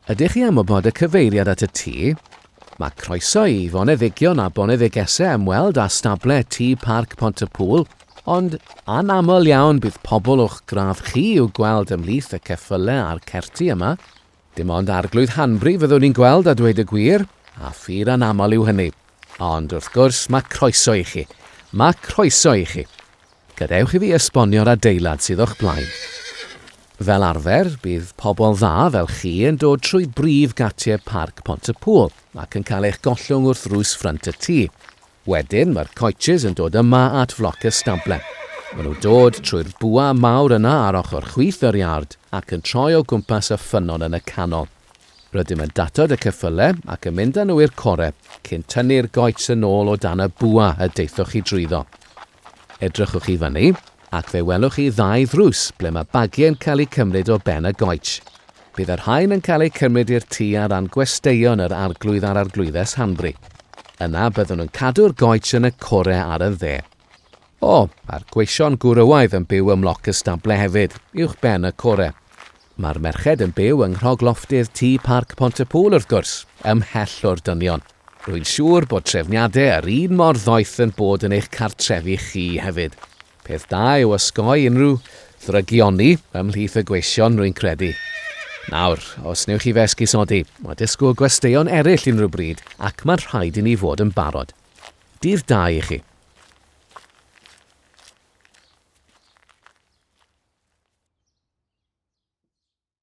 Ydych chi am wybod y cyfeiriad at y tŷ? Mae croeso i foneddigion a boneddigesau ymweld â stable Tŷ Parc Pont-y-pŵl, ond anaml iawn bydd pobl o'ch gradd chi i'w gweld ymhlith y ceffylau a'r certi yma. Dim ond Arglwydd Hanbury fyddwn ni'n gweld a dweud y gwir, a phur anaml yw hynny. Ond wrth gwrs, mae croeso i chi. Mae croeso i chi. Gadewch i fi esbonio'r adeilad sydd o'ch blaen. Fel arfer, bydd pobl dda fel chi yn dod trwy brif gatiau Parc Pont-y-pŵl ac yn cael eich gollwng wrth ddrws ffrynt y tŷ. Wedyn, mae'r coaches yn dod yma at floc y stable. Maen nhw'n dod trwy'r bwa mawr yna ar ochr chwith yr iard ac yn troi o gwmpas y ffynnon yn y canol. Rydym yn datod y ceffylau ac yn mynd â nhw i'r core cyn tynnu'r goets yn ôl o dan y bwa y deithoch chi drwyddo. Edrychwch i fyny, ac fe welwch chi ddau ddrws ble mae bagiau'n cael eu cymryd o ben y goets. Bydd y rhain yn cael eu cymryd i'r tŷ ar ran gwesteion yr Arglwydd a'r Arglwyddes Hanbury. Yna byddwn yn cadw'r goets yn y core ar y dde. O, a'r gweision gwrywaidd yn byw ym mloc y stable hefyd, uwch ben y core. Mae'r merched yn byw yng nghrogloftydd Tŷ Parc Pont-y-pŵl wrth gwrs, ymhell o'r dynion. Rwy'n siŵr bod trefniadau yr un mor ddoeth yn bod yn eich cartrefi chi hefyd. Peth da yw osgoi unrhyw ddrygioni ymhlith y gweision, rwy'n credu. Nawr, os newch chi fy esgusodi, mae disgwyl gwesteion eraill unrhyw bryd ac mae'n rhaid i ni fod yn barod. Dydd da i chi.